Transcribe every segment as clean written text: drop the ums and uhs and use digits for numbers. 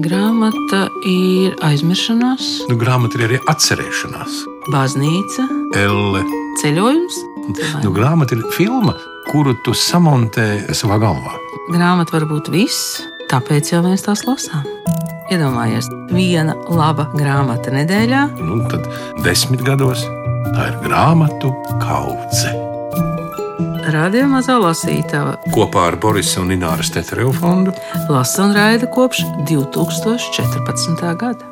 Grāmata ir aizmiršanās, Grāmata ir arī atcerēšanās. baznīca, Elle. ceļojums. Grāmata ir filma, kuru tu samontē savā galvā. Grāmata var būt viss, tāpēc jau mēs tās lasām. Iedomājies, viena laba grāmata nedēļā. Tad 10 gados tā ir grāmatu kaudze. Radio Mazā lasītava Kopā ar Borisa un Ināras Tetereva fondu lasa un raida kopš 2014. gada.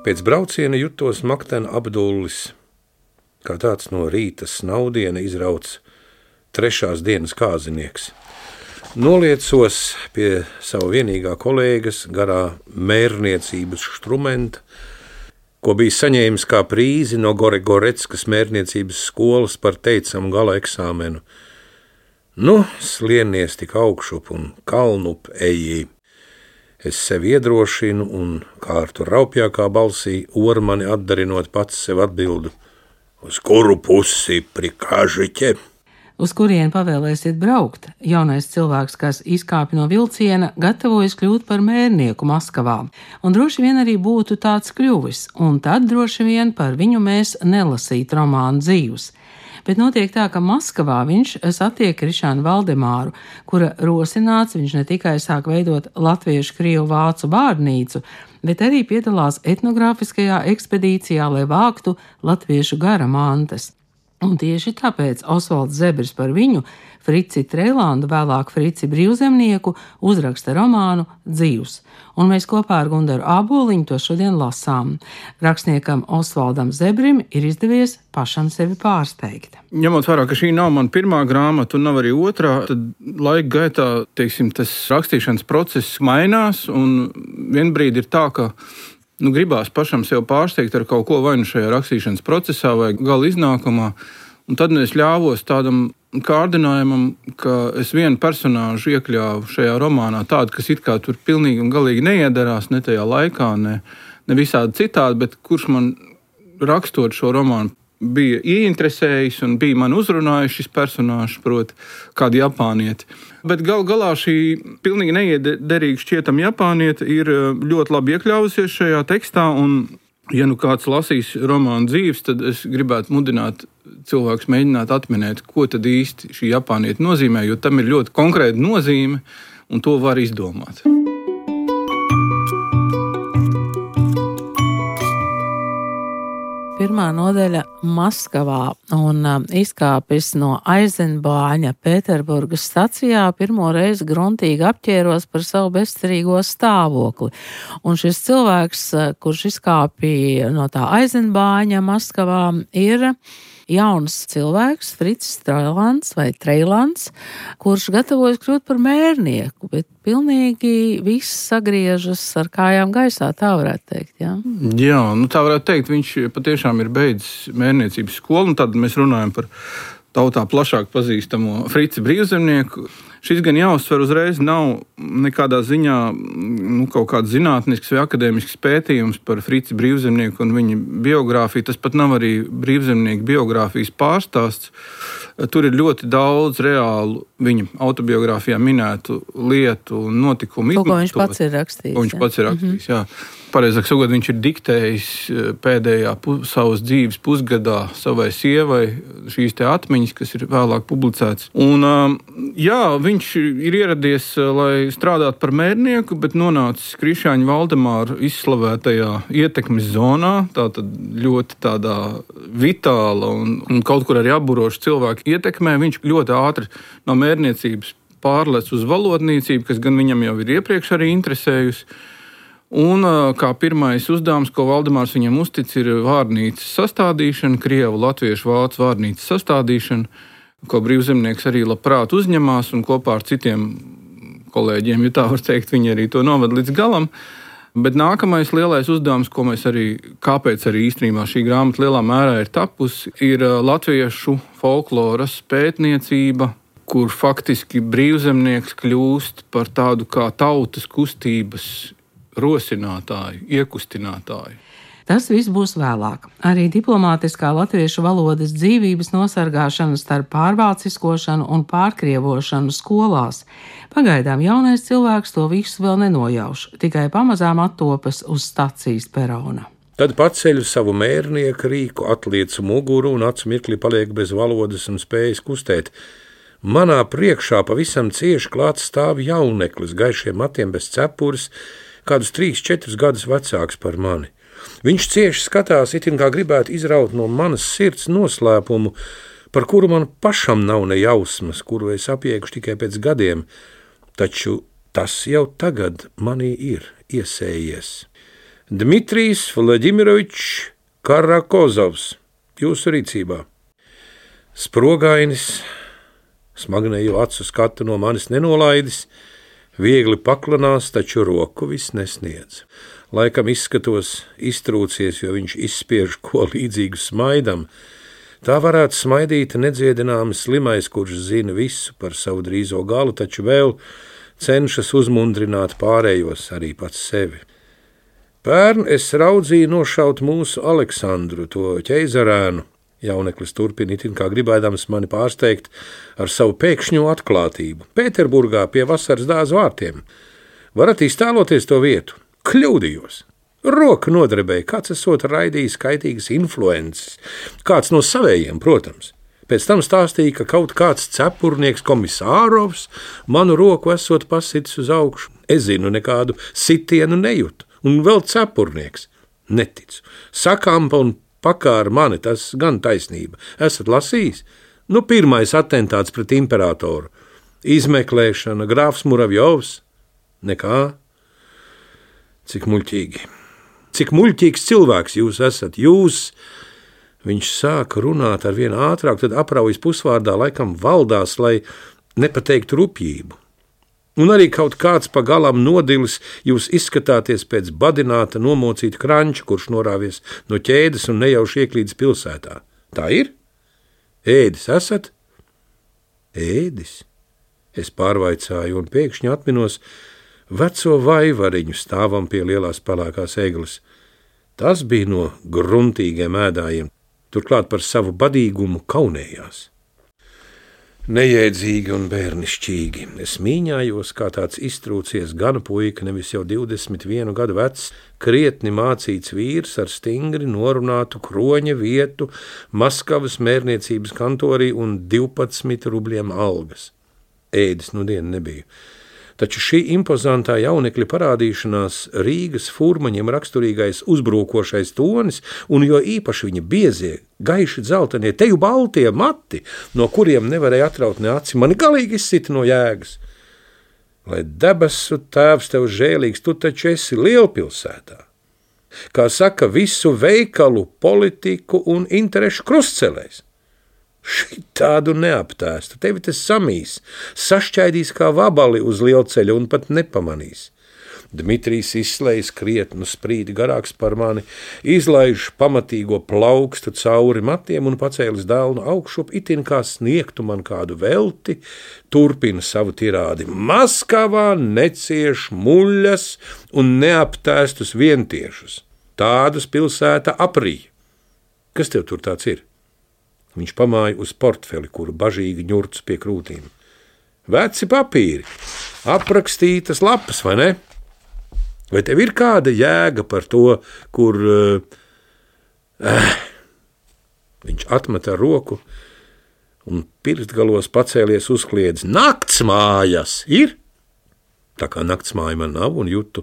pēc brauciena jutos Maktena Abdullis, kā tāds no rīta snaudiena izrauts 3. dienas kāzinieks. Noliecos pie sava vienīgā kolēgas garā mērniecības štrumenta, ko bija saņēmis kā prīzi no Goreckas mērniecības skolas par teicamu gala eksāmenu. Slienies tik augšup un kalnup ejī. Es sevi iedrošinu un kārtu raupjākā balsī ormani atdarinot pats sev atbildu. Uz kuru pusi prikāžiķe? Uz kurienu pavēlēsiet braukt? Jaunais cilvēks, kas izkāpa no vilciena, gatavojas kļūt par mērnieku Maskavā. Un droši vien arī būtu tāds kļuvis, un tad droši vien par viņu mēs nelasītu romānu dzīvus. Bet notiek tā, ka Maskavā viņš satiek Krišānu Valdemāru, kura rosināts viņš ne tikai sāk veidot latviešu, krievu, vācu vārnīcu, bet arī piedalās etnogrāfiskajā ekspedīcijā, lai vāktu latviešu gara mantas. Un tieši tāpēc Osvalds Zebris par viņu, Frici Treilandu, vēlāk Frici Brīvzemnieku, uzraksta romānu Dzīvs. Un mēs kopā ar Gundaru Āboliņu to šodien lasām. Rakstniekam Osvaldam Zebrim ir izdevies pašam sevi pārsteigt. Ņemot vērā, ka šī nav mana pirmā grāmata un nav arī otrā, tad laika gaitā, tas rakstīšanas process mainās, un vienbrīd ir tā, ka gribās pašam sev pārsteigt ar kaut ko vai nu šajā rakstīšanas procesā vai gala iznākumā, un tad es ļāvos tādam kārdinājumam, ka es vienu personāžu iekļāvu šajā romānā tādu, kas it kā tur pilnīgi un galīgi neiedarās ne tajā laikā, ne visādi citādi, bet kurš man rakstot šo romānu bija ieinteresējis un bija man uzrunājis šis personāžs, proti, kādu japānieti. Bet galā šī pilnīgi neiederīga šķietama japāniete ir ļoti labi iekļāvusies šajā tekstā, un ja kāds lasīs romānu Dzīvs, tad es gribētu mudināt cilvēkus mēģināt atminēt, ko tad īsti šī japāniete nozīmē, jo tam ir ļoti konkrēta nozīme, un to var izdomāt. Pirmā nodaļa Maskavā, un izkāpis no Eizenbāņa Pēterburgas stacijā pirmo reizi gruntīgi apķēros par savu bezcerīgo stāvokli. Un šis cilvēks, kurš izkāpīja no tā Eizenbāņa Maskavā, ir jauns cilvēks, Fricis Treilands, kurš gatavojas kļūt par mērnieku, bet pilnīgi viss sagriežas ar kājām gaisā, tā varētu teikt, jā? Jā, tā varētu teikt, viņš patiešām ir beidzis mērniecības skolu, un tad mēs runājam par tautā plašāk pazīstamo Frici Brīvzemnieku. Šis gan jāuzsver uzreiz nav nekādā ziņā kaut kāds zinātnisks vai akadēmisks pētījums par Frici Brīvzemnieku un viņa biogrāfiju. Tas pat nav arī Brīvzemnieku biogrāfijas pārstāsts. Tur ir ļoti daudz reālu viņa autobiogrāfijā minētu lietu un notikumu. Ko viņš pats ir rakstījis. Jā. Pareizāk sakot, viņš ir diktējis pēdējā savas dzīves pusgadā savai sievai šīs te atmiņas, kas ir vēlāk publicētas. Un viņš ir ieradies, lai strādātu par mērnieku, bet nonācis Krišāņa Valdemāra izslavētajā ietekmes zonā, tātad ļoti tādā vitāla un kaut kur arī apburoša cilvēka ietekmē. Viņš ļoti ātri no mērniecības pārlec uz valodniecību, kas gan viņam jau ir iepriekš arī interesējusi. Un kā pirmais uzdevums, ko Valdemārs viņam uztic, ir vārnīcas sastādīšana, krievu, latviešu, vācu vārnīcas sastādīšana, ko Brīvzemnieks arī labprāt uzņemās un kopā ar citiem kolēģiem, ja tā var teikt, viņi arī to novada līdz galam. Bet nākamais lielais uzdevums, ko mēs arī, kāpēc arī īstenībā šī grāmata lielā mērā ir tapusi, ir latviešu folkloras pētniecība, kur faktiski Brīvzemnieks kļūst par tādu kā tautas kustības rosinātāju, iekustinātāju. Tas viss būs vēlāk. Arī diplomātiskā latviešu valodas dzīvības nosargāšana starp pārvāciskošanu un pārkrievošanu skolās. Pagaidām jaunais cilvēks to visu vēl nenojauš, tikai pamazām attopas uz stacijas perona. Tad paceļu savu mērnieku rīku, atliecu muguru un acu mirkli paliek bez valodas un spējas kustēt. Manā priekšā pavisam cieši klāts stāv jauneklis, gaišiem matiem bez cepures, kādus 3-4 gadus vecāks par mani. Viņš cieši skatās, itin kā gribētu izraut no manas sirds noslēpumu, par kuru man pašam nav ne jausmas, kuru es apiekuši tikai pēc gadiem, taču tas jau tagad manī ir iesējies. Dmitrijs Vladimirovičs Karakozovs, jūsu rīcībā. Sprogainis, smagnēju acu skatu no manis nenolaidis, viegli paklanās, taču roku vis nesniedz. Laikam izskatos iztrūcies, jo viņš izspiež ko līdzīgu smaidam. Tā varētu smaidīt nedziedināms slimais, kurš zina visu par savu drīzo galu, taču vēl cenšas uzmundrināt pārējos, arī pats sevi. Pērn es raudzīju nošaut mūsu Aleksandru, to ķeizarēnu. Jauneklis turpina itin kā gribēdams mani pārsteigt ar savu pēkšņo atklātību. Pēterburgā pie vasaras dāzu vārtiem. Varat iztēloties to vietu? Kļūdījos. Roka nodrebēja, kāds esot raidījis kaitīgas influences. Kāds no savējiem, protams. Pēc tam stāstīja, ka kaut kāds cepurnieks Komisārovs manu roku esot pasitis uz augšu. Es zinu, nekādu sitienu nejūtu. Un vēl cepurnieks. Neticu. Sakampa un pakāra mani, tas gan taisnība. Esat lasījis? Pirmais atentāts pret imperatoru. Izmeklēšana, grāfs Muravjovs. Nekā. Cik muļķīgi. Cik muļķīgs cilvēks jūs esat. Jūs. Viņš sāka runāt ar vien ātrāk, tad apraujas pusvārdā laikam valdās, lai nepateiktu rupjību. Un arī kaut kāds pagalām nodilis, jūs izskatāties pēc badināta nomocīta kranča, kurš norāvies no ķēdes un nejauši ieklīdis pilsētā. Tā ir? Ēdis esat? Ēdis? Es pārvaicāju un pēkšņi atminos veco vaivariņu stāvam pie lielās pelēkās egles. Tas bija no gruntīgiem ēdājiem, turklāt par savu badīgumu kaunējās. Nejēdzīgi un bērnišķīgi. Es mīņājos kā tāds iztrūcies gana puika, nevis jau 21 gadu vecs, krietni mācīts vīrs ar stingri norunātu kroņa vietu Maskavas mērniecības kantorī un 12 rubļiem algas. Ēdis nudien nebiju. Taču šī impozantā jaunekļa parādīšanās, Rīgas furmaņiem raksturīgais uzbrukošais tonis un jo īpaši viņa biezie, gaiši dzeltenie, teju baltie mati, no kuriem nevarēja atraut ne aci, mani galīgi izsita no jēgas. Lai debesu tēvs tev žēlīgs, tu taču esi lielpilsētā. Kā saka, visu veikalu, politiku un interešu krustcelēs. Šitādu neaptēstu, tevi tas samīs, sašķaidīs kā vabali uz lielceļa un pat nepamanīs. Dmitrijs izslējas krietnu sprīdi garāks par mani, izlaiž pamatīgo plaukstu cauri matiem un pacēlis dēlnu augšup, itin kā sniegtu man kādu velti, turpina savu tirādi. Maskavā necieš muļas un neaptēstus vientiešus. Tādus pilsēta aprī. Kas tev tur tāds ir? Viņš pamāja uz portfeli, kuru bažīgi ņurts pie krūtīm. Veci papīri, aprakstītas lapas, vai ne? Vai tev ir kāda jēga par to, kur... Viņš atmeta roku un pirkstgalos pacēlies uzkliedz. Naktsmājas ir? Tā kā naktsmāja man nav un jūtu,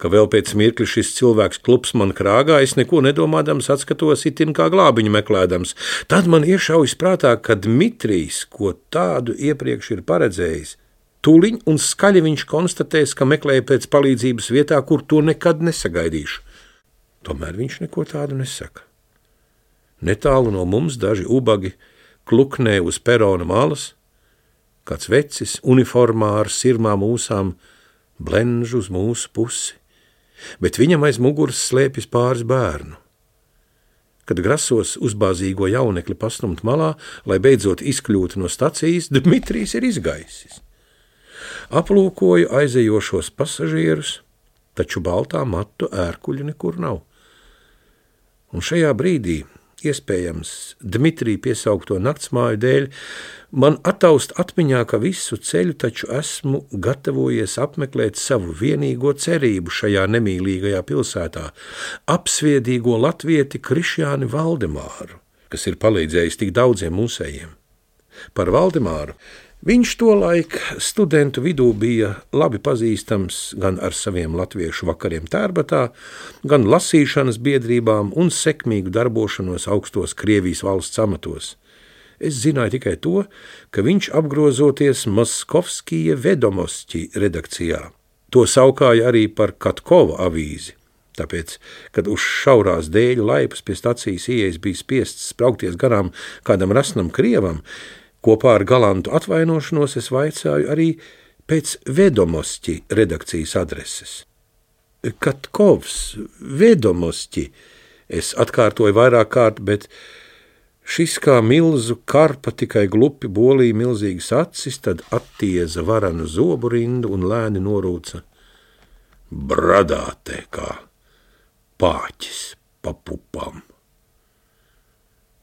ka vēl pēc mirkļa šis cilvēks klups man krāgā, es neko nedomādams atskatos itin kā glābiņu meklēdams. Tad man iešaujas prātā, ka Dmitrijs, ko tādu iepriekš ir paredzējis, tūliņ un skaļi viņš konstatēs, ka meklēja pēc palīdzības vietā, kur to nekad nesagaidīšu. Tomēr viņš neko tādu nesaka. Netālu no mums daži ubagi kluknē uz perona malas, kāds vecis uniformā ar sirmām ūsām blenž uz mūsu pusi, bet viņam aiz muguras slēpjas pāris bērnu. Kad grasos uzbāzīgo jaunekli pastumt malā, lai beidzot izkļūtu no stacijas, Dmitrijs ir izgaisis. Aplūkoju aizejošos pasažierus, taču baltā matu ērkuļu nekur nav. Un šajā brīdī, iespējams, Dmitrija piesaukto naktsmāju dēļ, man attaust atmiņā, ka visu ceļu taču esmu gatavojies apmeklēt savu vienīgo cerību šajā nemīlīgajā pilsētā, apsviedīgo latvieti Krišjāni Valdemāru, kas ir palīdzējis tik daudziem mūsējiem. Par Valdemāru viņš tolaik studentu vidū bija labi pazīstams gan ar saviem latviešu vakariem Tērbatā, gan lasīšanas biedrībām un sekmīgu darbošanos augstos Krievijas valsts amatos. Es zināju tikai to, ka viņš apgrozoties Moskovskije Vedomosti redakcijā. To saukāja arī par Katkova avīzi. Tāpēc, kad uz šaurās dēļu laipas pie stacijas ieejas bija spiests spraukties garām kādam rasnam krievam, kopā ar galantu atvainošanos es vaicāju arī pēc Vedomosti redakcijas adreses. Katkovs, Vedomosti, es atkārtoju vairāk kārt, bet šis kā milzu karpa tikai glupi bolīja milzīgas acis, tad attieza varanu zobu rindu un lēni norūca: bradātē kā pāķis pa pupām.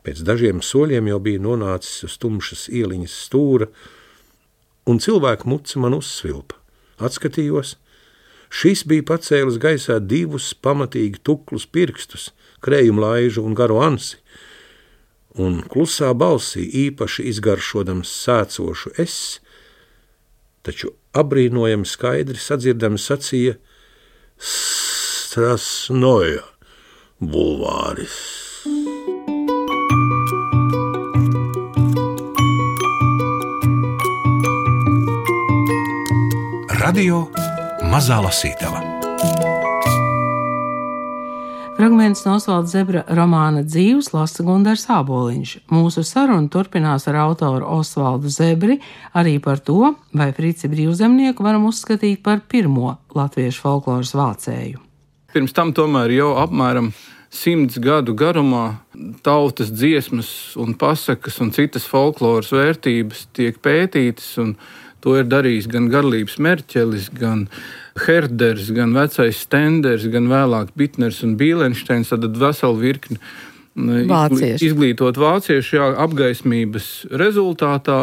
Pēc dažiem soļiem jau bija nonācis uz tumšas ieliņas stūra, un cilvēku muce man uzsvilpa. Atskatījos, šis bija pacēlis gaisā divus pamatīgi tuklus pirkstus, krējumlaižu un garu ansi, un klusā balsī īpaši izgaršodams sēcošu es, taču abrīnojami skaidri sadzirdami sacīja: Strasnoja bulvāris. Radio Mazā Lasītava. Fragments no Osvalda Zebra romāna Dzīvs lasa Gundars Āboliņš. Mūsu saruna turpinās ar autoru Osvaldu Zebri arī par to, vai Frici Brīvzemnieku varam uzskatīt par pirmo latviešu folkloras vācēju. Pirms tam tomēr jau apmēram 100 gadu garumā tautas dziesmas un pasakas un citas folkloras vērtības tiek pētītas, un to ir darījis gan Garlības Merķelis, gan Herders, gan vecais Stenders, gan vēlāk Bitners un Bīlenšteins, tad vesela virkni izglītot vāciešu apgaismības rezultātā.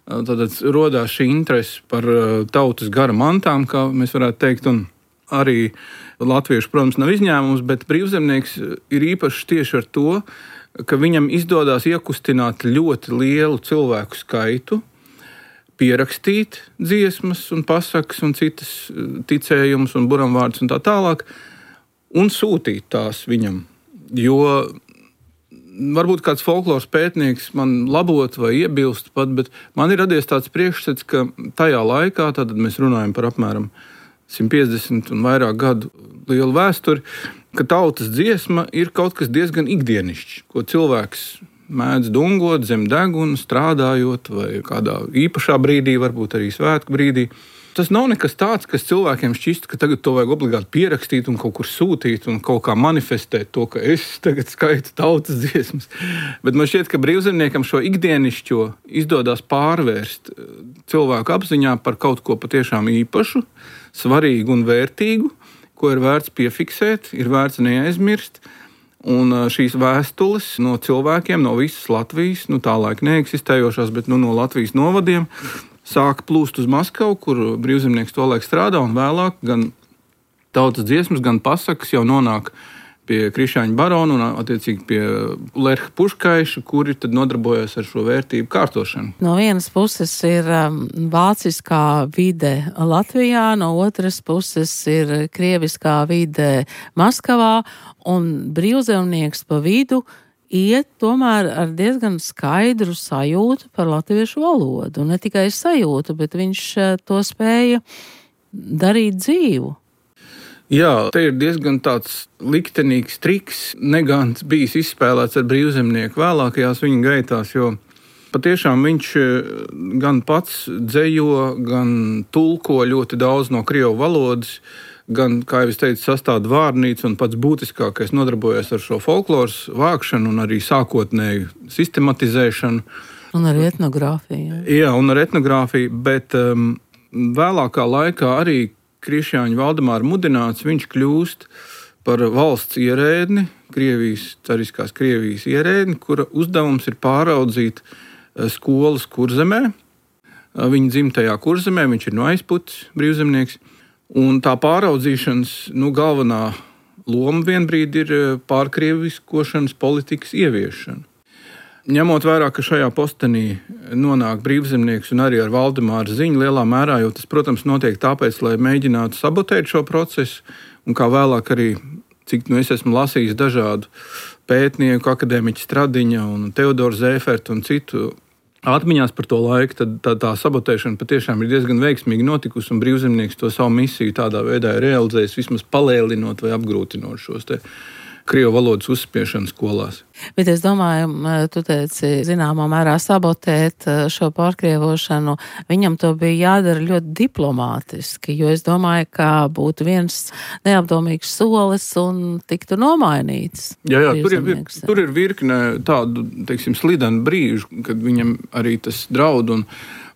Tad rodās šī interese par tautas gara mantām, kā mēs varētu teikt, un arī latviešu, protams, nav izņēmums, bet brīvzemnieks ir īpašs tieši ar to, ka viņam izdodas iekustināt ļoti lielu cilvēku skaitu, pierakstīt dziesmas un pasakas un citas ticējumus un buramvārdus un tā tālāk, un sūtīt tās viņam. Jo varbūt kāds folkloras pētnieks man labot vai iebilst pat, bet man ir radies tāds priekšstats, ka tajā laikā, tad mēs runājam par apmēram 150 un vairāk gadu lielu vēsturi, ka tautas dziesma ir kaut kas diezgan ikdienišķs, ko cilvēks mēdz dungot zem deguna, strādājot vai kādā īpašā brīdī, varbūt arī svētku brīdī. Tas nav nekas tāds, kas cilvēkiem šķist, ka tagad to vajag obligāti pierakstīt un kaut kur sūtīt un kaut kā manifestēt to, ka es tagad skaitu tautas dziesmas. Bet man šķiet, ka brīvzemniekam šo ikdienišķo izdodas pārvērst cilvēku apziņā par kaut ko patiešām īpašu, svarīgu un vērtīgu, ko ir vērts piefiksēt, ir vērts neaizmirst. Un šīs vēstules no cilvēkiem, no visas Latvijas, tā laika neeksistējošās, bet no Latvijas novadiem, sāka plūst uz Maskavu, kur brīvzemnieks tolaik strādā, un vēlāk gan tautas dziesmas, gan pasakas jau nonāk pie Krišāņa barona un attiecīgi pie Lerha Puškaiša, kuri tad nodarbojas ar šo vērtību kārtošanu. No vienas puses ir vāciskā vide Latvijā, no otras puses ir krieviskā vide Maskavā, un brīvzemnieks pa vidu iet tomēr ar diezgan skaidru sajūtu par latviešu valodu. Un ne tikai sajūtu, bet viņš to spēja darīt dzīvu. Jā, te ir diezgan tāds liktenīgs triks, negants bijis izspēlēts ar brīvzemnieku vēlākajās viņa gaitās, jo patiešām viņš gan pats dzejo, gan tulko ļoti daudz no krievu valodas, gan, kā jau es teicu, sastāda vārnīcu un pats būtiskākais nodarbojas ar šo folkloras vākšanu un arī sākotnēju sistematizēšanu. Un ar etnogrāfiju. Jā, un ar etnogrāfiju, bet vēlākā laikā arī Krišjāņa Valdemāra mudināts, viņš kļūst par valsts ierēdni, cariskās Krievijas ierēdni, kura uzdevums ir pāraudzīt skolas Kurzemē. Viņa dzimtajā Kurzemē, viņš ir no Aizputes brīvzemnieks. Un tā pāraudzīšanas galvenā loma vienbrīd ir pārkrieviskošanas politikas ieviešana. Ņemot vērā, ka šajā postenī nonāk brīvzemnieks un arī ar Valdemāra ziņu lielā mērā, jo tas, protams, notiek tāpēc, lai mēģinātu sabotēt šo procesu, un kā vēlāk arī, cik es esmu lasījis dažādu pētnieku, akadēmiķu Stradiņa un Teodoru Zēfertu un citu atmiņās par to laiku, tad tā sabotēšana patiešām ir diezgan veiksmīgi notikusi, un brīvzemnieks to savu misiju tādā veidā ir realizējis, vismaz palēlinot vai apgrūtinot šos te krievu valodas uzspiešanu skolās. Bet es domāju, tu teici, zināmā mērā sabotēt šo pārkrievošanu, viņam to bija jādara ļoti diplomātiski, jo es domāju, ka būtu viens neapdomīgs solis un tiktu nomainīts. Jā, tur ir virkne tādu, teiksim, slidenu brīžu, kad viņam arī tas draud, un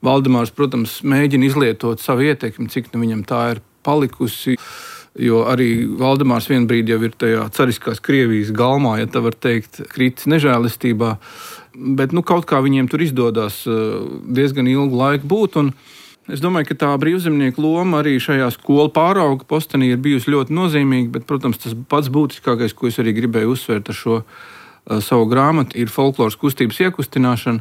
Valdemārs, protams, mēģina izlietot savu ietekmi, cik viņam tā ir palikusi. Jo arī Valdemārs vienbrīd jau ir tajā cariskās Krievijas galmā, ja tā var teikt, kritis nežēlistībā, bet kaut kā viņiem tur izdodas diezgan ilgu laiku būt, un es domāju, ka tā brīvzemnieku loma arī šajā skolu pārauga postenī ir bijusi ļoti nozīmīga, bet, protams, tas pats būtiskākais, ko es arī gribēju uzsvērt ar šo savu grāmatu, ir folkloras kustības iekustināšana.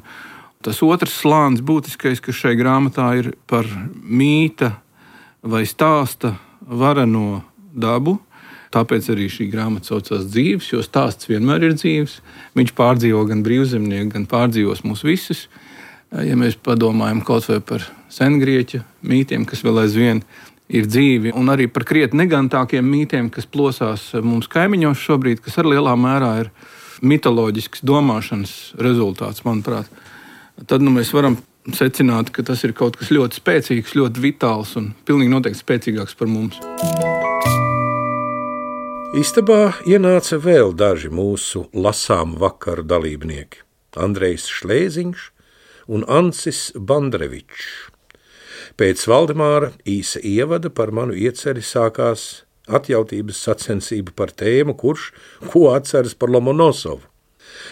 Tas otrs slānis būtiskais, kas šai grāmatā ir par mīta vai stāsta vareno dabu, tāpēc arī šī grāmata saucās Dzīves, jo stāsts vienmēr ir dzīves. Viņš pārdzīvo gan brīvzemnieku, gan pārdzīvos mūs visus. Ja mēs padomājam kaut vai par sengrieķu mītiem, kas vēl aizvien ir dzīvi, un arī par krietni negantākiem mītiem, kas plosās mums kaimiņos šobrīd, kas ar lielā mērā ir mitoloģisks domāšanas rezultāts, manuprāt. Tad mēs varam secināt, ka tas ir kaut kas ļoti spēcīgs, ļoti vitāls un pilnīgi noteikti spēcīgāks par mums. Istabā ienāca vēl daži mūsu lasām vakaru dalībnieki – Andrejs Šlēziņš un Ancis Bandrevičs. Pēc Valdemāra īsa ievada par manu ieceri sākās atjautības sacensība par tēmu, kurš ko atceras par Lomonosovu.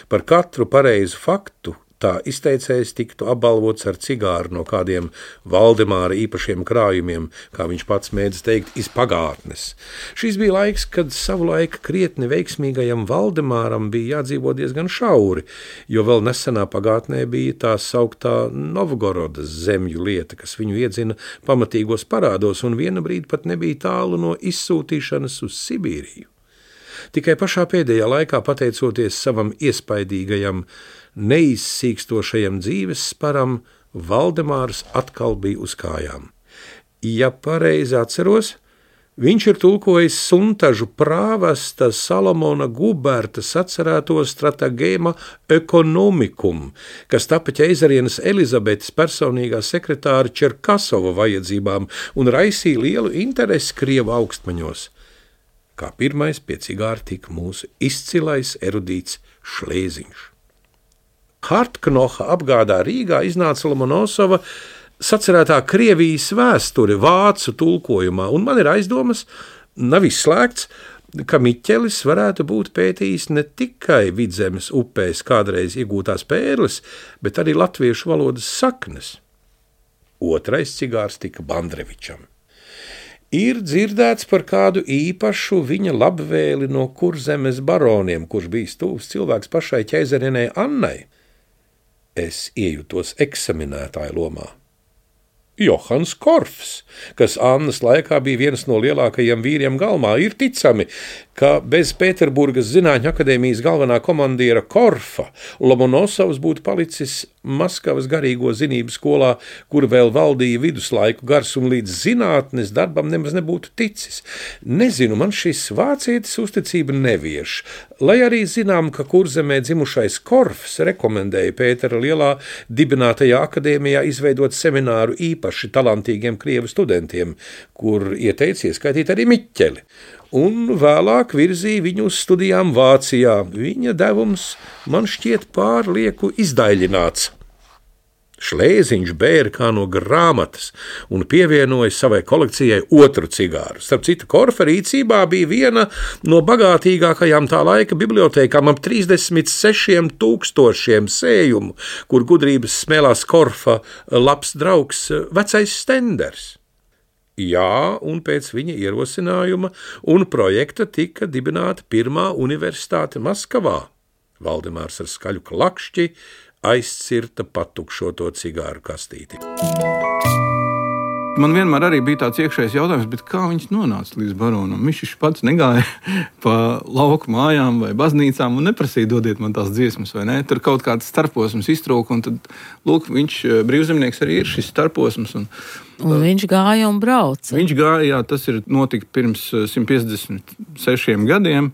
Par katru pareizu faktu tā izteicējs tiktu apbalvots ar cigāru no kādiem Valdemāra īpašiem krājumiem, kā viņš pats mēdz teikt, iz pagātnes. Šis bija laiks, kad savulaik krietni veiksmīgajam Valdemāram bija jādzīvo diezgan šauri, jo vēl nesenā pagātnē bija tā sauktā Novgorodas zemju lieta, kas viņu iedzina pamatīgos parādos, un viena brīdi pat nebija tālu no izsūtīšanas uz Sibīriju. Tikai pašā pēdējā laikā, pateicoties savam iespaidīgajam, neizsīkstošajam dzīves sparam, Valdemārs atkal bija uz kājām. Ja pareizi atceros, viņš ir tulkojis Suntažu prāvesta Salomona Guberta sacerēto Stratagēma Ekonomikum, kas tapa ķeizarienes Elizabetes personīgā sekretāra Čerkasova vajadzībām un raisīja lielu interesi Krievu augstmaņos. Kā pirmais pie cigāra tika mūsu izcilais erudīts Šlēziņš. Hartknoha apgādā Rīgā iznāca Lomonosova sacerētā Krievijas vēsture vācu tulkojumā, un man ir aizdomas, nav izslēgts, ka Miķelis varētu būt pētījis ne tikai Vidzemes upēs kādreiz iegūtās pērles, bet arī latviešu valodas saknes. Otrais cigārs tika Bandrevičam. Ir dzirdēts par kādu īpašu viņa labvēli no Kurzemes baroniem, kurš bija stūvs cilvēks pašai ķeizarienei Annai. Es iejutos eksaminētāju lomā. Johans Korfs, kas Annas laikā bija viens no lielākajiem vīriem galmā, ir ticami, ka bez Pēterburgas Zinātņu akadēmijas galvenā komandiera Korfa Lomonosovs būtu palicis Maskavas garīgo zinību skolā, kur vēl valdīja viduslaiku gars un līdz zinātnes darbam nemaz nebūtu ticis. Nezinu, man šis vācietis uzticība nevieš, lai arī zinām, ka Kurzemē dzimušais Korfs rekomendēja Pētera lielā dibinātajā akadēmijā izveidot semināru īpaši talantīgiem krievu studentiem, kur ieteica ieskaitīt arī Miķeli, un vēlāk virzīja viņu uz studijām Vācijā. Viņa devums man šķiet pārlieku izdaļināts. Šlēziņš bēra kā no grāmatas un pievienoja savai kolekcijai otru cigāru. Starp citu, Korfa rīcībā bija viena no bagātīgākajām tā laika bibliotēkām ap 36,000 sējumu, kur gudrības smēlās Korfa labs draugs vecais Stenders. Jā, un pēc viņa ierosinājuma un projekta tika dibināta pirmā universitāte Maskavā. Valdemārs ar skaļu klakšķi aizcirta patukšoto cigāru kastīti. Man vienmēr arī bija tāds iekšējs jautājums, bet kā viņš nonāca līdz baronam? Viņš pats negāja pa lauku mājām vai baznīcām un neprasīja dodiet man tās dziesmas, vai ne? Tur kaut kāds starposms iztrūka, un tad, lūk, viņš brīvzemnieks arī ir šis starposms. Un viņš gāja un brauca. Viņš gāja, jā, tas ir notika pirms 156 gadiem,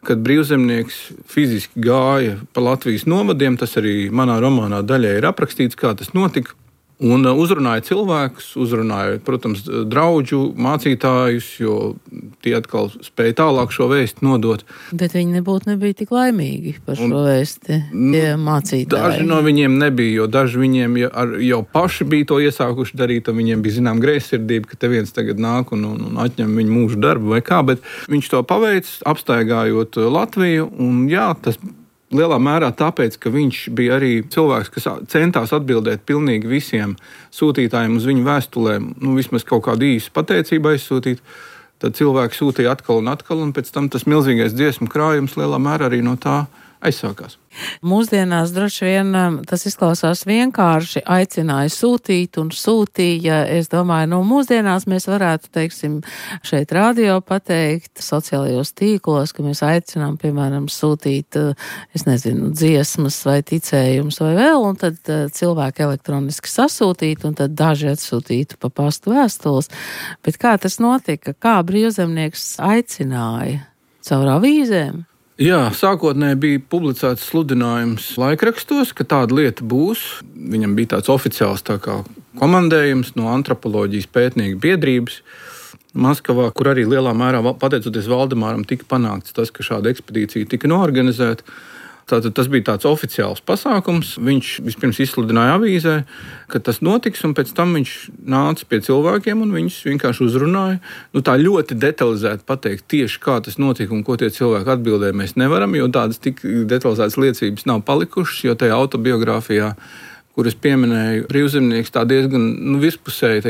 kad brīvzemnieks fiziski gāja pa Latvijas novadiem. Tas arī manā romānā daļai ir aprakstīts, kā tas notika. Un uzrunāja cilvēkus, uzrunāja, protams, draudžu, mācītājus, jo tie atkal spēja tālāk šo vēstu nodot. Bet viņi nebija tik laimīgi par šo vēsti, tie mācītāji. Daži no viņiem nebija, jo daži viņiem jau paši bija to iesākuši darīt, un viņiem bija zinām greizsirdība, ka te viens tagad nāk un atņem viņu mūžu darbu vai kā, bet viņš to paveic, apstaigājot Latviju, un jā, tas lielā mērā tāpēc, ka viņš bija arī cilvēks, kas centās atbildēt pilnīgi visiem sūtītājiem uz viņu vēstulēm, vismaz kaut kādu īsu pateicību aizsūtīt. Tad cilvēki sūtīja atkal, un pēc tam tas milzīgais dziesmu krājums lielā mērā arī no tā aizsākās. Mūsdienās droši vien tas izklausās vienkārši, aicināja sūtīt un sūtīja. Es domāju, mūsdienās mēs varētu, teiksim, šeit radio pateikt, sociālajos tīklos, ka mēs aicinām, piemēram, sūtīt, dziesmas vai ticējumus vai vēl, un tad cilvēki elektroniski sasūtītu, un tad daži atsūtītu pa pastu vēstules. Bet kā tas notika? Kā brīvzemnieks aicināja? Caur avīzēm? Jā, sākotnēji bija publicēts sludinājums laikrakstos, ka tāda lieta būs. Viņam bija tāds oficiāls komandējums no antropoloģijas pētnieku biedrības Maskavā, kur arī lielā mērā, pateicoties Valdemāram, tika panākts tas, ka šāda ekspedīcija tika noorganizēta. Tātad tas bija tāds oficiāls pasākums. Viņš vispirms izsludināja avīzē, ka tas notiks, un pēc tam viņš nāca pie cilvēkiem un viņus vienkārši uzrunāja. Tā ļoti detalizēti pateikt tieši, kā tas notika un ko tie cilvēki atbildēja, mēs nevaram, jo tādas tik detalizētas liecības nav palikušas, jo tajā autobiogrāfijā, kuras pieminēju, brīvzemnieks tā diezgan vispusēji,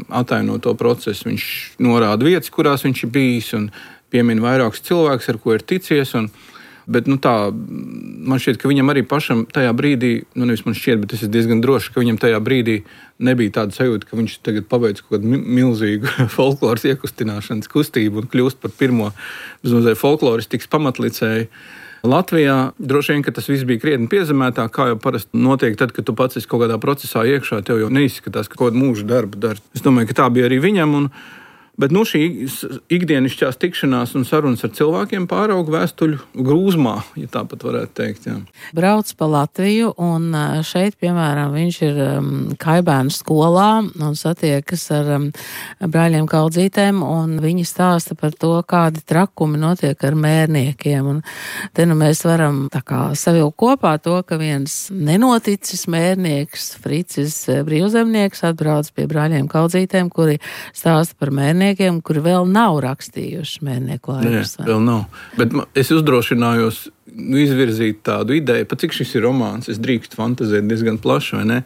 ataino to procesu. Viņš norāda vietas, kurās viņš ir bijis, un piemin vairākus cilvēkus, ar ko ir ticies, bet man šķiet, ka viņam arī pašam tajā brīdī, nevis man šķiet, bet es esmu diezgan droši, ka viņam tajā brīdī nebija tāda sajūta, ka viņš tagad paveic kaut kādu milzīgu folkloras iekustināšanas kustību un kļūst par pirmo folkloristikas pamatlicēju Latvijā. Droši vien, ka tas viss bija krietni piezemētāk, kā jau parasti notiek tad, kad tu pats esi kaut kādā procesā iekšā, tev jau neizskatās, ka kaut kādu mūžu darbu dara. Es domāju, ka tā bija arī viņam, bet šī ikdienišķās tikšanās un sarunas ar cilvēkiem pārauga vēstuļu grūzmā, ja tā pat varētu teikt. Jā. Brauc pa Latviju, un šeit, piemēram, viņš ir Kaibēnu skolā un satiekas ar brāļiem Kaudzītēm, un viņi stāsta par to, kādi trakumi notiek ar mērniekiem. Un te mēs varam savilkt kopā to, ka viens nenoticis mērnieks, Fricis brīvzemnieks, atbrauc pie brāļiem Kaudzītēm, kuri stāsta par mērniekiem, kuri vēl nav rakstījuši mērnieku laikus. Nē, vēl nav. Bet es uzdrošinājos izvirzīt tādu ideju, pat cik šis ir romāns, es drīkstu fantazēt diezgan plaši, vai ne?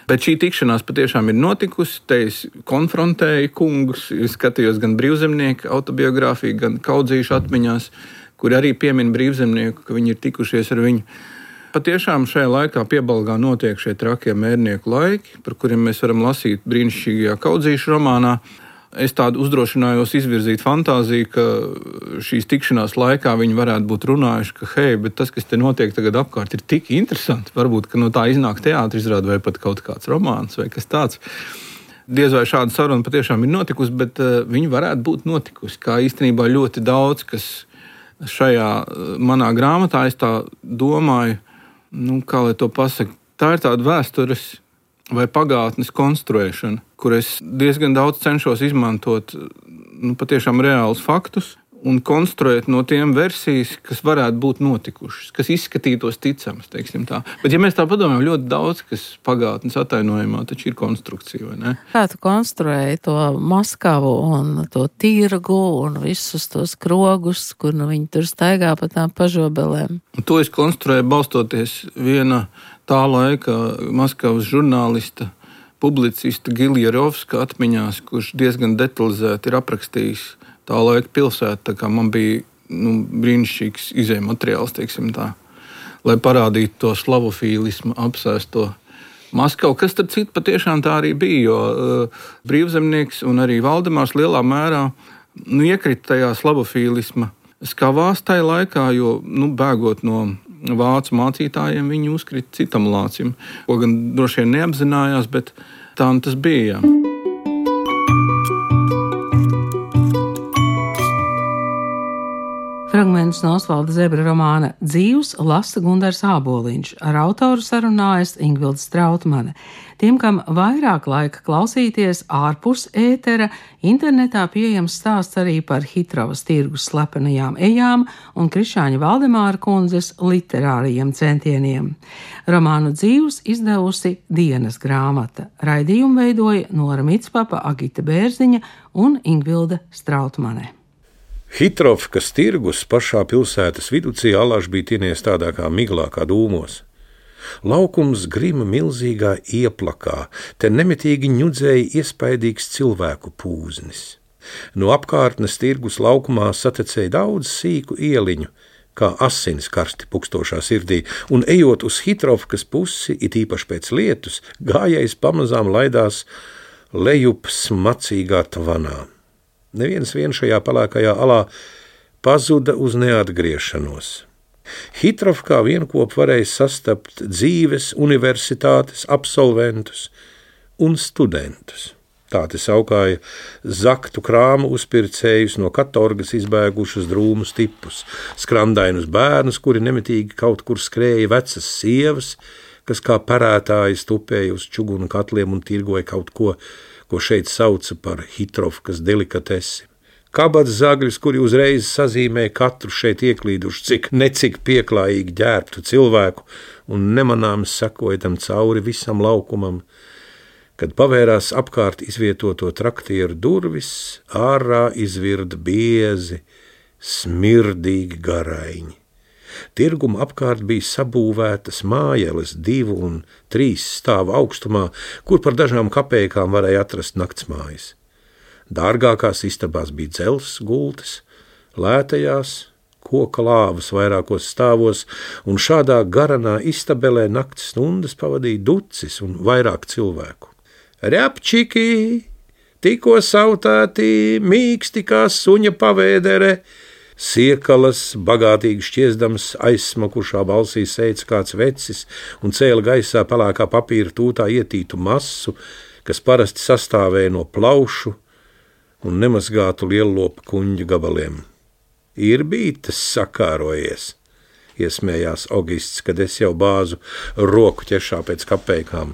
Bet šī tikšanās patiešām ir notikusi, te es konfrontēju kungus, skatījos gan brīvzemnieku autobiogrāfiju, gan Kaudzīšu atmiņās, kuri arī piemin brīvzemnieku, ka viņi ir tikušies ar viņu. Patiešām šajā laikā Piebalgā notiek šie trakie mērnieku laiki, par kuriem mēs varam lasīt brīnišķīgajā Kaudzīšu romānā. Es tādu uzdrošinājos izvirzīt fantāziju, ka šīs tikšanās laikā viņi varētu būt runājuši, ka hei, bet tas, kas te notiek tagad apkārt, ir tik interesanti. Varbūt, ka no tā iznāk teātris izrāda vai pat kaut kāds romāns vai kas tāds. Diez vai šāda saruna patiešām ir notikusi, bet viņi varētu būt notikusi. Kā īstenībā ļoti daudz, kas šajā manā grāmatā, es tā domāju, kā lai to pasaka, tā ir tāda vēstures vai pagātnes konstruēšana, kur es diezgan daudz cenšos izmantot patiešām reālus faktus un konstruēt no tiem versijas, kas varētu būt notikušas, kas izskatītos ticams, teiksim tā. Bet, ja mēs tā padomājam, ļoti daudz, kas pagātnes atainojumā, taču ir konstrukcija, vai ne? Kā tu konstruēji to Maskavu un to tirgu un visus tos krogus, kur viņi tur staigā pa tām pažobelēm? Un to es konstruēju balstoties viena tā laika Maskavas žurnālista, publicista Giljarovska atmiņās, kurš diezgan detalizēti ir aprakstījis tā laika pilsēta, tā kā man bija brīnišķīgs izējmateriāls, teiksim tā, lai parādītu to slavofīlismu apsēsto Maskavu, kas tad citu patiešām tā arī bija, jo brīvzemnieks un arī Valdemārs lielā mērā iekrita tajā slavofīlisma skavās tajā laikā, jo bēgot no vācu mācītājiem, viņi uzkrita citam lācim, ko gan droši vien neapzinājās, bet tā tas bija. Fragmentus no Osvalda Zebra romāna Dzīvs lasa Gundars Āboliņš, ar autoru sarunājas Ingvilda Strautmane. Tiem, kam vairāk laika klausīties ārpus ētera, internetā pieejams stāsts arī par Hitrovas tirgus slepenajām ejām un Krišāņa Valdemāra kundzes literārajiem centieniem. Romānu Dzīvs izdevusi Dienas grāmata. Raidījumu veidoja Nora Mitspapa, Agita Bērziņa un Ingvilda Strautmane. Hitrovkas tirgus pašā pilsētas viducī alaž bija tinies tādā kā miglā, kā dūmos. Laukums grima milzīgā ieplakā, te nemitīgi ņudzēja iespaidīgs cilvēku pūznis. No apkārtnes tirgus laukumā satecēja daudz sīku ieliņu, kā asins karsti pukstošā sirdī, un ejot uz Hitrovkas pusi, it īpaši pēc lietus, gājējs pamazām laidās lejup smacīgā tvanā. Neviens vien šajā palākajā alā pazuda uz neatgriešanos. Hitrovkā vienkop varēja sastapt dzīves universitātes absolventus un studentus. Tā te saukāja zaktu krāmu uzpircējus, no katorgas izbēgušus drūmus tipus, skrandainus bērnus, kuri nemitīgi kaut kur skrēja, vecas sievas, kas kā parētāji stupēja uz čugunu katliem un tirgoja kaut ko šeit sauca par Hitrovkas delikatesi. Kabatas zagļus, kuri uzreiz sazīmēja katru šeit ieklīdušu, cik pieklājīgi ģērbtu cilvēku, un nemanām sekoja tam cauri visam laukumam. Kad pavērās apkārt izvietoto traktieru durvis, ārā izvirda biezi, smirdīgi garaiņi. Tirguma apkārt bija sabūvētas mājeles 2 un 3 stāvu augstumā, kur par dažām kapējām varēja atrast naktsmājas. Dārgākās istabās bija dzelzs gultas, lētajās koka lāvas vairākos stāvos, un šādā garanā istabelē nakts stundas pavadīja ducis un vairāk cilvēku. Repčiki, tikko sautēti, mīksti kā suņa pavēdere, siekalas, bagātīgi šķiesdams aizsmakušā balsī seica kāds vecis un cēla gaisā pelēkā papīra tūtā ietītu masu, kas parasti sastāvēja no plaušu un nemazgātu lielopu kuņģa gabaliem. Ir bītas sakārojies, iesmējās Augists, kad es jau bāzu roku ķešā pēc kapējām.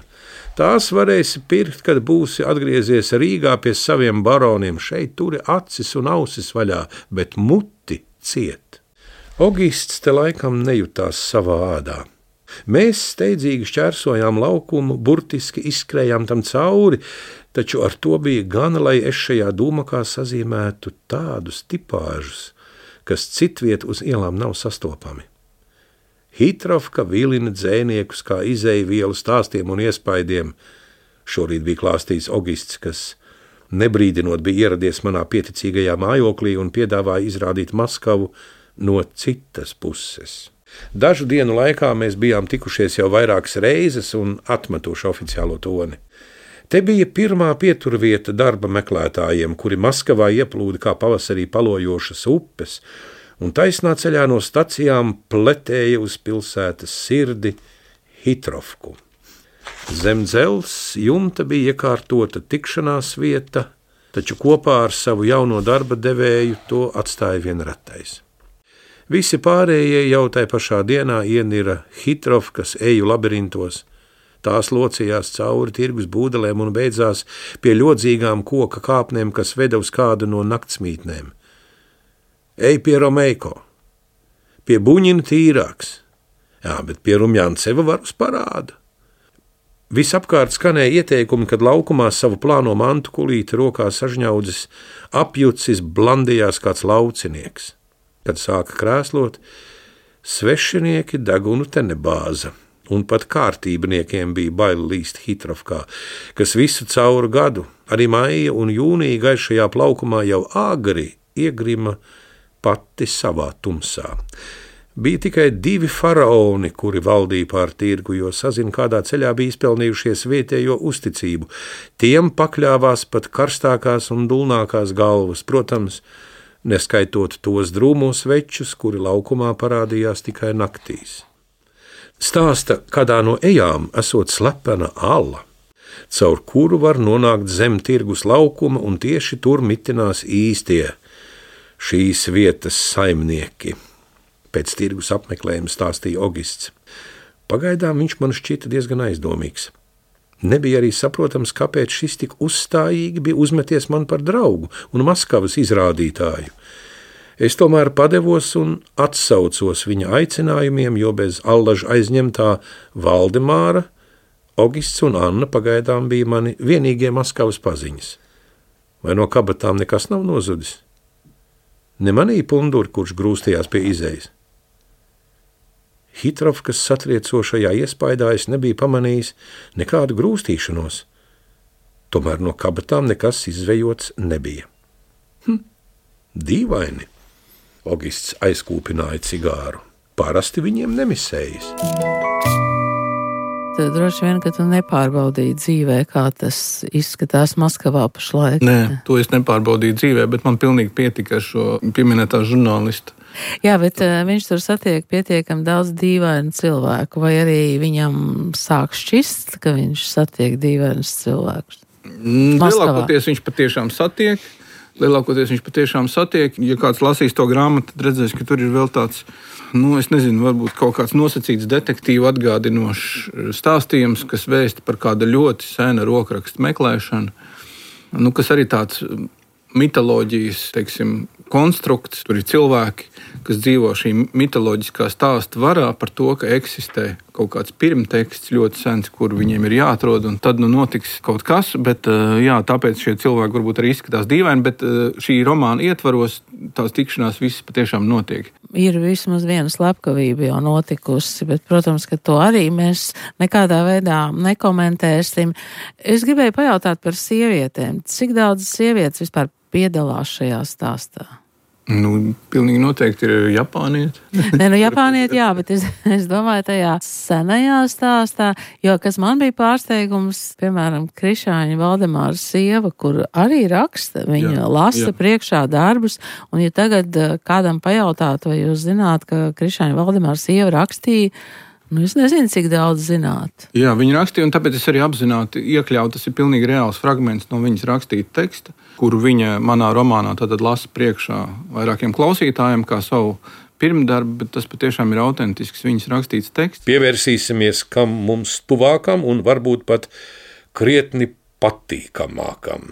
Tās varēsi pirkt, kad būsi atgriezies Rīgā pie saviem baroniem. Šeit turi acis un ausis vaļā, bet muti ciet. Augists te laikam nejutās savā ādā. Mēs steidzīgi šķērsojām laukumu, burtiski izskrējām tam cauri, taču ar to bija gana, lai es šajā dūmakā sazīmētu tādus tipāžus, kas citviet uz ielām nav sastopami. Hitrovka vilina dzēniekus kā izejvielu stāstiem un iespaidiem. Šorīt bija klāstījis Augists, kas nebrīdinot bija ieradies manā pieticīgajā mājoklī un piedāvāja izrādīt Maskavu no citas puses. Dažu dienu laikā mēs bijām tikušies jau vairākas reizes un atmetuši oficiālo toni. Te bija pirmā pieturvieta darba meklētājiem, kuri Maskavā ieplūda kā pavasarī palojošas upes, un taisnā ceļā no stacijām pletēja uz pilsētas sirdi Hitrovku. Zem dzelzs jumta bija iekārtota tikšanās vieta, taču kopā ar savu jauno darba devēju to atstāja vien retais. Visi pārējie jau tai pašā dienā ienira Hitrovkas eju labirintos, tās locījās cauri tirgus būdelēm un beidzās pie ļodzīgām koka kāpnēm, kas veda uz kādu no naktsmītnēm. Ej pie Romeiko, pie Buņina tīrāks, jā, bet pie Rumjanceva var uz parādu. Visapkārt skanēja ieteikumi, kad laukumā savu plāno mantu kulīti rokā sažņaudzis, apjucis, blandījās kāds laucinieks. Kad sāka krēslot, svešinieki degunu te nebāza, un pat kārtībniekiem bija bail līst Hitrovkā, kas visu cauru gadu, arī maija un jūnija gaišajā plaukumā jau agri iegrima pati savā tumsā. Bija tikai 2 faraoni, kuri valdīja pār tirgu, jo sazin kādā ceļā bija izpelnījušies vietējo uzticību. Tiem pakļāvās pat karstākās un dulnākās galvas, protams, neskaitot tos drūmos večus, kuri laukumā parādījās tikai naktīs. Stāsta, kādā no ejām esot slepena ala, caur kuru var nonākt zem tirgus laukuma, un tieši tur mitinās īstie šīs vietas saimnieki. Pēc tirgus apmeklējuma stāstīja Ogists. Pagaidām viņš man šķita diezgan aizdomīgs. Nebija arī saprotams, kāpēc šis tik uzstājīgi bija uzmeties man par draugu un Maskavas izrādītāju. Es tomēr padevos un atsaucos viņa aicinājumiem, jo bez allaža aizņemtā Valdemāra Ogists un Anna pagaidām bija mani vienīgie Maskavas paziņas. Vai no kabatām nekas nav nozudis? Nemanīja punduri, kurš grūstījās pie izejas. Hitrovkas satriecošajā iespaidā es nebiju pamanījis nekādu grūstīšanos, tomēr no kabatām nekas izvejots nebija. Dīvaini, Ogists aizkūpināja cigāru, parasti viņiem nemisējas. Tad droši vien, ka tu nepārbaudīji dzīvē, kā tas izskatās Maskavā pašlaik. Nē, to es nepārbaudīju dzīvē, bet man pilnīgi pietika ar šo pieminētā žurnālistu. Jā, bet viņš tur satiek pietiekami daudz dīvainu cilvēku, vai arī viņam sāk šķist, ka viņš satiek dīvainus cilvēkus? Lielākoties viņš patiešām satiek. Ja kāds lasīs to grāmatu, tad redzēs, ka tur ir vēl tāds, es nezinu, varbūt kaut kāds nosacīts detektīvu atgādinošs stāstījums, kas vēsta par kāda ļoti sena rokraksta meklēšanu, kas arī tāds mitoloģijas, teiksim, konstrukts. Tur ir cilvēki, kas dzīvo šī mitoloģiskā stāsta varā par to, ka eksistē kaut kāds pirmteksts ļoti sens, kur viņiem ir jāatrod, un tad notiks kaut kas, bet tāpēc šie cilvēki varbūt arī izskatās dīvaini, bet šī romāna ietvaros tās tikšanās visas patiešām notiek. Ir vismaz viena slepkavība jau notikusi, bet, protams, ka to arī mēs nekādā veidā nekomentēsim. Es gribēju pajautāt par sievietēm. Cik daudz sievietes vispār piedalās šajā stāstā? Pilnīgi noteikti ir Japānieti. Japānieti, jā, bet es domāju tajā senajā stāstā, jo kas man bija pārsteigums, piemēram, Krišāņa Valdemāra sieva, kur arī raksta, viņa lasa priekšā darbus, un ja tagad kādam pajautāt, vai jūs zināt, ka Krišāņa Valdemāra sieva rakstīja, es nezinu, cik daudz zināt. Jā, viņa rakstīja, un tāpēc es arī apzināti iekļauju, tas ir pilnīgi reāls fragments no viņas rakstīta teksta, kuru viņa manā romānā tātad lasa priekšā vairākiem klausītājiem kā savu pirmdarbu, bet tas patiešām ir autentisks viņas rakstīts teksts. Pievērsīsimies kam mums tuvākam un varbūt pat krietni patīkamākam.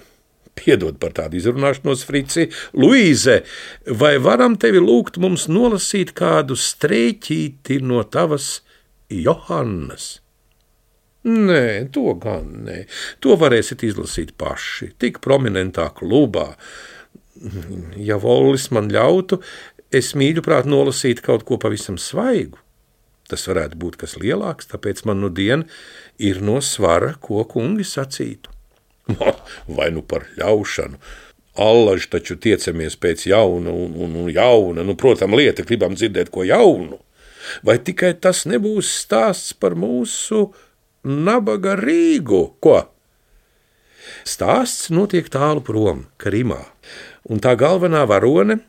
Piedod par tādu izrunāšanos, Frici. Luīze, vai varam tevi lūgt mums nolasīt kādu streiķīti no tavas Johannas? Nē, to gan nē. To varēsiet izlasīt paši, tik prominentā klubā. Ja Vollis man ļautu, es mīļuprāt nolasīt kaut ko pavisam svaigu. Tas varētu būt kas lielāks, tāpēc man nudien ir no svara, ko kungi sacītu. Vai par ļaušanu. Allaži taču tiecamies pēc jauna un jauna. Protams, lieta, gribam dzirdēt ko jaunu. Vai tikai tas nebūs stāsts par mūsu nabaga Rīgu? Ko? Stāsts notiek tālu prom, Krimā. Un tā galvenā varone,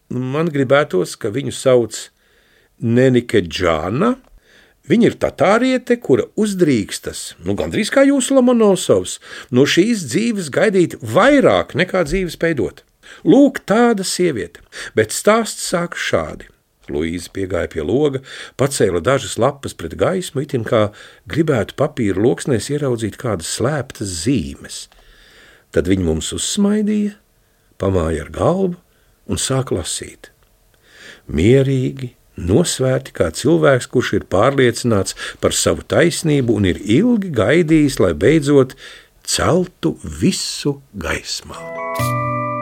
man gribētos, ka viņu sauc Nenikeģāna. Viņa ir tatāriete, kura uzdrīkstas, gandrīz kā jūs Lomonosovs, no šīs dzīves gaidīt vairāk nekā dzīves peidot. Lūk, tāda sieviete, bet stāsts sāk šādi. Luīze piegāja pie loga, pacēla dažas lapas pret gaismu, itin kā gribētu papīra loksnēs ieraudzīt kādas slēptas zīmes. Tad viņa mums uzsmaidīja, pamāja ar galvu un sāk lasīt. mierīgi, nosvērti kā cilvēks, kurš ir pārliecināts par savu taisnību un ir ilgi gaidījis, lai beidzot celtu visu gaismā.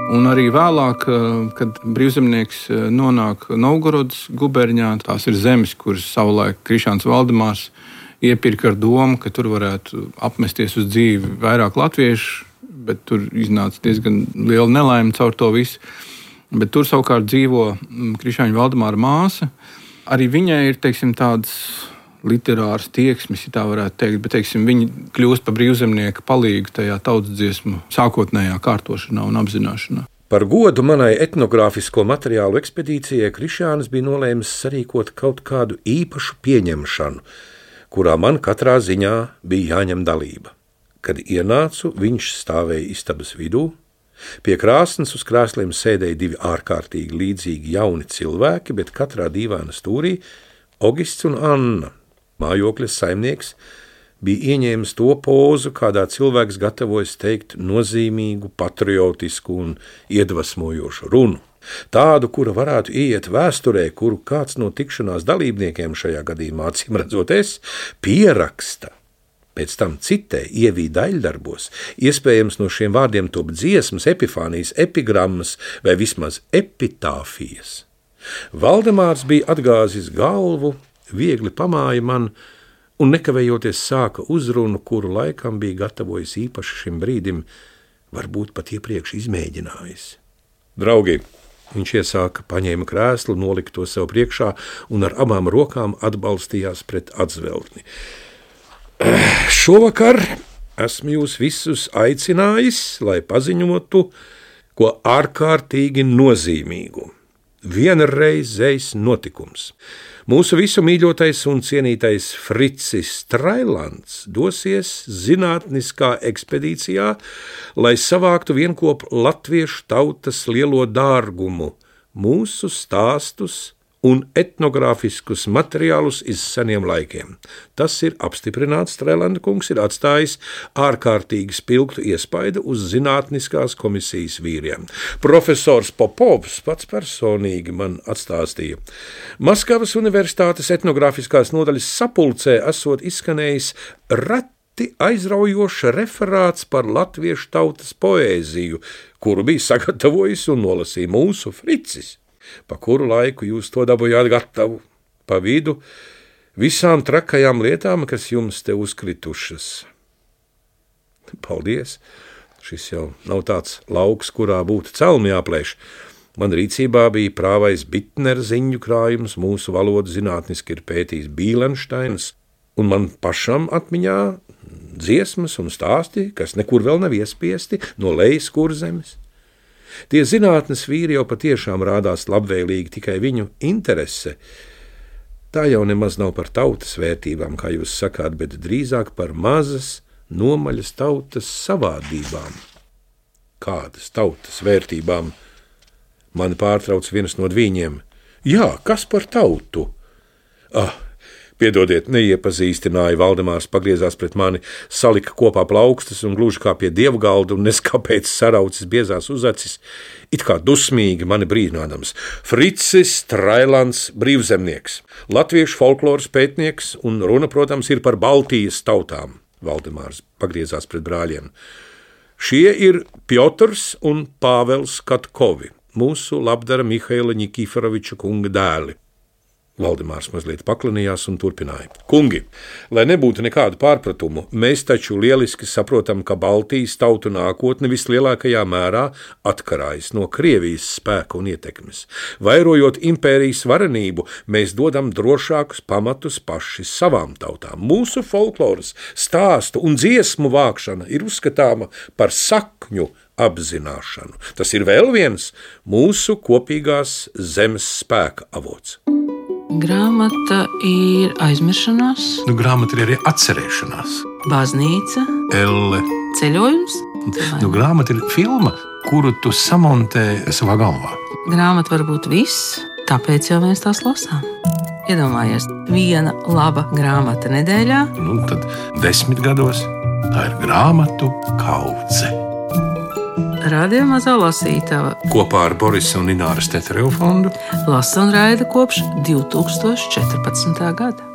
Un arī vēlāk, kad brīvzemnieks nonāk Novgorodas guberņā, tās ir zemes, kuras savulaik Krišjāns Valdemārs iepirka ar domu, ka tur varētu apmesties uz dzīvi vairāk latviešu, bet tur iznāca diezgan liela nelaime caur to visu. Bet tur savukārt dzīvo Krišjāņa Valdemāra māsa. Arī viņai ir, teiksim, tādas literāras tieksmes, ja tā varētu teikt, bet, teiksim, viņi kļūst par brīvzemnieka palīgu tajā tautsdziesmu sākotnējā kārtošanā un apzināšanā. Par godu manai etnogrāfisko materiālu ekspedīcijai Krišjānis bija nolēmis sarīkot kaut kādu īpašu pieņemšanu, kurā man katrā ziņā bija jāņem dalība. Kad ienācu, viņš stāvēja istabas vidū. Pie krāsnes uz krēsliem sēdēja divi ārkārtīgi līdzīgi jauni cilvēki, bet katrā dīvāna stūrī Ogists un Anna, mājokļa saimnieks, bija ieņēmis to pozu, kādā cilvēks gatavojas teikt nozīmīgu, patriotisku un iedvesmojošu runu. Tādu, kura varētu ieiet vēsturē, kuru kāds no tikšanās dalībniekiem šajā gadījumā, acīm redzot es, pieraksta. Pēc tam citē, ievīja daļdarbos, iespējams no šiem vārdiem top dziesmas, epifānijas, epigrammas vai vismaz epitāfijas. Valdemārs bija atgāzis galvu, viegli pamāja man un nekavējoties sāka uzrunu, kuru laikam bija gatavojis īpaši šim brīdim, varbūt pat iepriekš izmēģinājis. Draugi, viņš iesāka, paņēma krēslu, nolika to sev priekšā un ar abām rokām atbalstījās pret atzveltni. Šovakar esmu jūs visus aicinājis, lai paziņotu, ko ārkārtīgi nozīmīgu. Vienreizējs notikums. Mūsu visu mīļotais un cienītais Fricis Trailands dosies zinātniskā ekspedīcijā, lai savāktu vienkop latviešu tautas lielo dārgumu, mūsu stāstus un etnogrāfiskus materiālus iz seniem laikiem. Tas ir apstiprināts, Trailanda kungs ir atstājis ārkārtīgi spilgtu iespaidu uz zinātniskās komisijas vīriem. Profesors Popovs pats personīgi man atstāstīja. Maskavas universitātes etnogrāfiskās nodaļas sapulcē esot izskanējis reti aizraujošs referāts par latviešu tautas poēziju, kuru bija sagatavojis un nolasīja mūsu Fricis. Pa kuru laiku jūs to dabujāt gatavu, pa vidu visām trakajām lietām, kas jums te uzkritušas. Paldies! Šis jau nav tāds lauks, kurā būtu celmi jāplēš. Man rīcībā bija prāvais Bitner ziņu krājums, mūsu valodu zinātniski ir pētījis Bīlenšteins, un man pašam atmiņā dziesmas un stāsti, kas nekur vēl nav iespiesti, no lejas Kurzemes. Tie zinātnes vīri jau patiešām rādās labvēlīgi, tikai viņu interese. Tā jau nemaz nav par tautas vērtībām, kā jūs sakāt, bet drīzāk par mazas, nomaļas tautas savādībām. Kādas tautas vērtībām? Mani pārtrauc viens no viņiem. Jā, kas par tautu? Piedodiet, neiepazīstināja, Valdemārs pagriezās pret mani, salika kopā plaukstas un gluži kā pie dievgalda un neskapēc saraucis biezās uzacis, it kā dusmīgi mani brīnādams. Fricis Trailands brīvzemnieks, latviešu folkloras pētnieks un runa, protams, ir par Baltijas tautām. Valdemārs pagriezās pret brāļiem. Šie ir Piotrs un Pāvels Katkovi, mūsu labdara Mihaila Ņikiforoviča kunga dēli. Valdemārs mazliet paklanījās un turpināja. Kungi, lai nebūtu nekādu pārpratumu, mēs taču lieliski saprotam, ka Baltijas tautu nākotne vislielākajā mērā atkarājas no Krievijas spēka un ietekmes. Vairojot impērijas varenību, mēs dodam drošākus pamatus paši savām tautām. Mūsu folkloras, stāstu un dziesmu vākšana ir uzskatāma par sakņu apzināšanu. Tas ir vēl viens mūsu kopīgās zemes spēka avots. Grāmata ir aizmiršanās, Grāmata ir arī atcerēšanās. baznīca, Elle. ceļojums. Grāmata ir filma, kuru tu samontē savā galvā. Grāmata var būt viss, tāpēc jau mēs tās lasām. Iedomājies, viena laba grāmata nedēļā. Tad 10 gados tā ir grāmatu kaudze. Radio Mazā lasītava Kopā ar Borisa un Ināras Tetereva fondu lasa un raida kopš 2014. gada.